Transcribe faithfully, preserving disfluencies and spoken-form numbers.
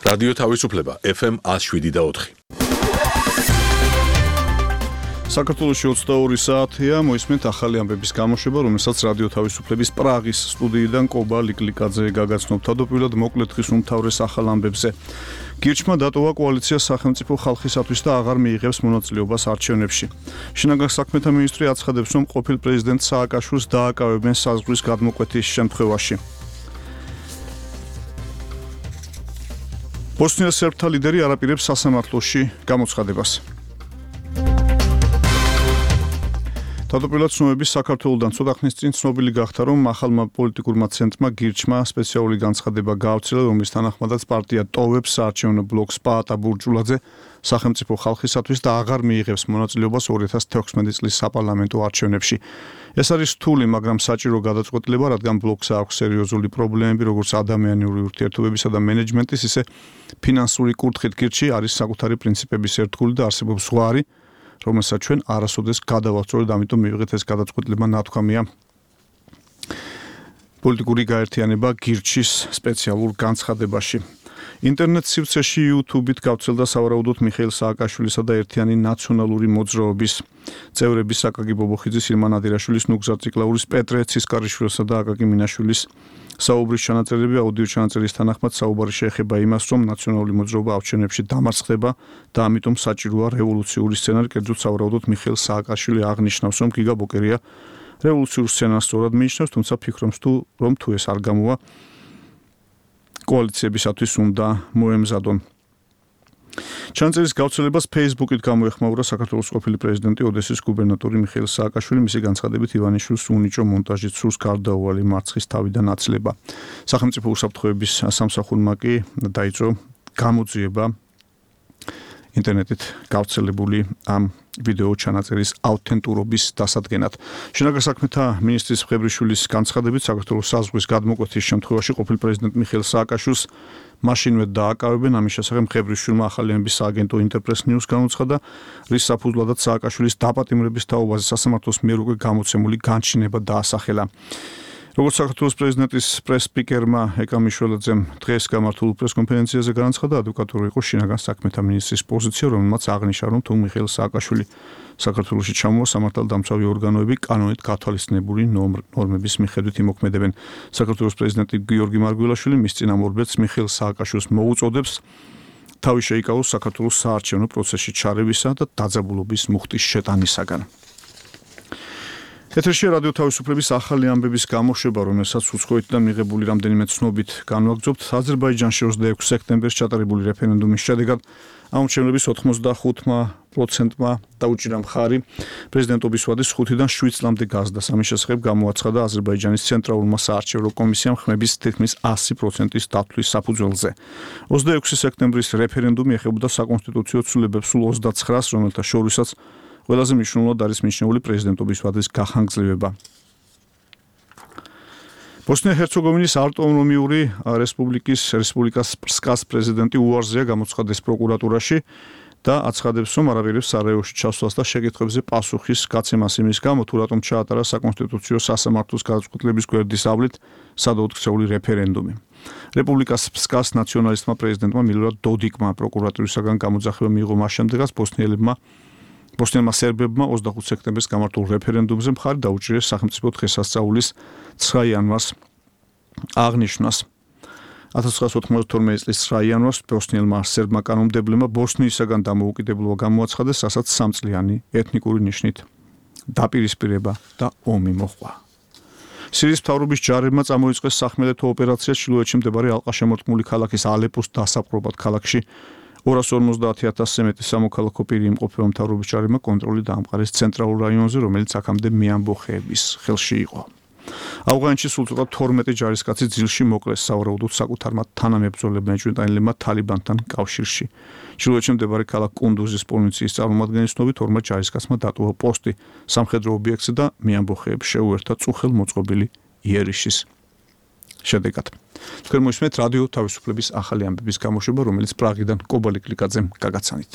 რადიო თავისუფლება ეფ ემ one oh seven და four. საქართველოში ოცდაორი საათია, მოისმენთ ახალი ამბების გამოშვება, რომელსაც რადიო თავისუფლების პრაღის სტუდიიდან კობა ლიკლიკაძე გაგაცნობ. თავდაპირველად მოკლედ დღის უმთავრეს ახალ ამბებზე. გირჩმა დატოვა კოალიცია სახელმწიფო ხალხისათვის და აღარ მიიღებს მონაწილეობას არჩევნებში. შინაგან საქმეთა მინისტრი აცხადებს, რომ ყოფილ პრეზიდენტ სააკაშვილს დააკავებენ საზღვრის გადმოკვეთის შემთხვევაში. ბოსნია სერბთა ლიდერი არაპირებს სასამართლოში გამოცხადებას. თავდაპირველად ცნობების საქართველოდან ცოტა ხნის წინ ცნობილი გახდა, რომ ახალმა პოლიტიკურმა ცენტრმა გირჩმა სპეციალური განცხადება გაავრცელა, რომლის თანახმადაც პარტია ტოვებს საარჩევნო ბლოკს პაატა ბურჯულაძე სახელმწიფო ხალხისათვის და აღარ მიიღებს მონაწილეობას ორი ათას თექვსმეტი წლის საპარლამენტო არჩევნებში. ეს არის რთული, მაგრამ საჭირო გადაწყვეტილება, რადგან ბლოკს აქვს სერიოზული პრობლემები, როგორც ადამიანური ურთიერთობებისა და მენეჯმენტის, ისე ფინანსური კუთხით. გირჩი არის საკუთარი პრინციპების ერთგული და არსებობს ზღვარი, რომელსაც ჩვენ არასოდეს გადავავწროთ, ამიტომ მივიღეთ ეს გადაწყვეტილება, ნათქვამია პოლიტიკური გაერთიანება გირჩის სპეციალურ განცხადებაში. ინტერნეტ სივრცეში YouTube-ით გავრცელდა სავარაუდოდ მიხეილ სააკაშვილისა და ერთიანი ნაციონალური მოძრაობის წევრების აკაკი ბობოხიძის, ირმა ნადირაშვილის, ნუგზარ ციკლაურის, პეტრე ცისკარიშვილისა და აკაკი მინაშვილის საუბრის ჩანაწერები. აუდიო ჩანაწერის თანახმად საუბარი შეეხება იმას, რომ ნაციონალური მოძრაობა არჩევნებში დამარცხდება და ამიტომ საჭიროა რევოლუციური სცენარი. კერძოდ სავარაუდოდ მიხეილ სააკაშვილი აღნიშნავს, რომ გიგა ბოკერია რევოლუციურ სცენარს სწორად მიიჩნევს, თუმცა ფიქრობს თუ რომ თუ ეს არ გამოვა კოალიციებისათვის უნდა მოემზადონ. ჩანაწერის გავრცელებას Facebook-ით გამოეხმაურა საქართველოს ყოფილი პრეზიდენტი ოდესის გუბერნატორი მიხეილ სააკაშვილი. მისი განცხადებით ივანიშვილს უნიჭო მონტაჟით სურს გარდაუვალი მარცხის თავიდან აცლება. სახელმწიფო უსაფრთხოების სამსახურმა კი დაიწყო გამოძიება ინტერნეტით გავრცელებული ამ ვიდეო ჩანაწერის აუთენტურობის დასადგენად. შინაგან საქმეთა მინისტრის მხებრიშვილის განცხადებით, საქართველოს საზღვრის გადმოკვეთის შემთხვევაში ყოფილ პრეზიდენტ მიხეილ სააკაშვილს მაშინვე დააკავებენ. ამის შესახებ მხებრიშვილმა ახალი ამბის სააგენტო ინტერპრეს ნიუს განუცხადა, რის საფუძვლადაც სააკაშვილის დაპატიმრების თაობაზე სასამართლოს მიერ უკვე გამოცემული განჩინება დაასახელა. როგორც საქართველოს პრეზიდენტის პრეს-სპიკერმა ეკა მიშველაძემ დღეს გამართულ პრეს-კონფერენციაზე განაცხადა, ადვოკატური იყო შინაგან საქმეთა მინისტრის პოზიცია, რომელმაც აღნიშნა, რომ თუ მიხეილ სააკაშვილი საქართველოში ჩამოვა, სამართალდამცავი ორგანოები კანონით გათვალისწინებული ნორმების მიხედვით იმოქმედებენ. საქართველოს პრეზიდენტი გიორგი მარგველაშვილი მის წინამორბედს მიხეილ სააკაშვილს მოუწოდებს თავი შეიკავოს საქართველოს საარჩევნო პროცესში ჩარევისა და დაძაბულობის მუხტის შეტანისაგან. ეთერში რადიო თავისუფლების ახალი ამბების გამოშვება, რომელსაც უცხოეთიდან მიღებული რამდენიმე ცნობით განვაგრძობთ. აზერბაიჯანში ოცდაექვსი სექტემბერს ჩატარებული რეფერენდუმის შედეგად ამორჩევნების ოთხმოცდახუთმა პროცენტმა დაუჭირა მხარი პრეზიდენტობის ვადის ხუთიდან შვიდ წლამდე გაზრდას. ამის შესახებ გამოაცხადა აზერბაიჯანის ცენტრალურმა საარჩევნო კომისიამ ხმების თითქმის ასი პროცენტის დათვლის საფუძველზე. ოცდაექვსი სექტემბრის რეფერენდუმი ეხებოდა საკონსტიტუციო ცვლილებებს სულ ოცდაცხრას, რომელთა შორისაც ყველაზე მნიშვნელოვნად არის მიჩნეული პრეზიდენტობის ვადის გახანგრძლივება. ბოსნია-ჰერცეგოვინის ავტონომიური რესპუბლიკის რესპუბლიკას სპრსკას პრეზიდენტი უარზეა გამოცხადეს პროკურატურაში და აცხადებს, რომ არაპირებს სარაევოში ჩასვლას და შეკითხვებზე პასუხის გაცემას იმის გამო, თუ რატომ ჩაატარა საკონსტიტუციო სასამართლოს გადაწყვეტილების გვერდის ავლით სადაუთხსეული რეფერენდუმი. რესპუბლიკას სპრსკას ნაციონალისტმა პრეზიდენტმა მილორად დოდიკმა პროკურატურისაგან გამოძახება მიიღო მას შემდეგაც ბოსნიელებმა ბოსნიელმა სერბებმა ოცდახუთი სექტემბერს გამართულ რეფერენდუმზე მხარი დაუჭირეს სახელმწიფო დღესასწაულის ცხრა იანვარს აღნიშვნას. ათას ცხრაასი ოთხმოცდათორმეტი წლის ცხრა იანვარს ბოსნიელმა სერბმა კანონმდებლებმა ბოსნიისაგან დამოუკიდებლობა გამოაცხადეს, რასაც სამწლიანი ეთნიკური ნიშნით დაპირისპირება და ომი მოჰყვა. სირიის მთავრობის ჯარებმა წამოიწყეს სახმელეთო ოპერაცია ჩრდილოეთში მდებარე ალყაშემორტყმული ქალაქის ალეპოს დასაპყრობად. ქალაქში ორას ორმოცდაათი ათასზე მეტი სამოქალაქო პირი იმყოფება. მთავრობის ჯარებმა კონტროლი დაამყარეს ცენტრალურ რაიონზე, რომელიც აქამდე მეამბოხეების ხელში იყო. ავღანეთში სულ ცოტა თორმეტი ჯარისკაცი ძილში მოკლეს, სავარაუდოდ საკუთარმა თანამებრძოლებმა ეჭვმიტანილებმა თალიბანთან კავშირში. ჩრდილოეთში მდებარე ქალაქ კუნდუზის პოლიციის წარმომადგენლის ცნობით, ორმა ჯარისკაცმა დატოვა პოსტი სამხედრო ობიექტზე და მეამბოხეებს შეუერთა წუხელ მოწყობილი იერიშის შედეგად. თქვენ მოისმენთ რადიო თავისუფლების ახალი ამბების გამოშვება, რომელიც პრაღიდან კობა ლიკლიკაძემ გაგაცანით.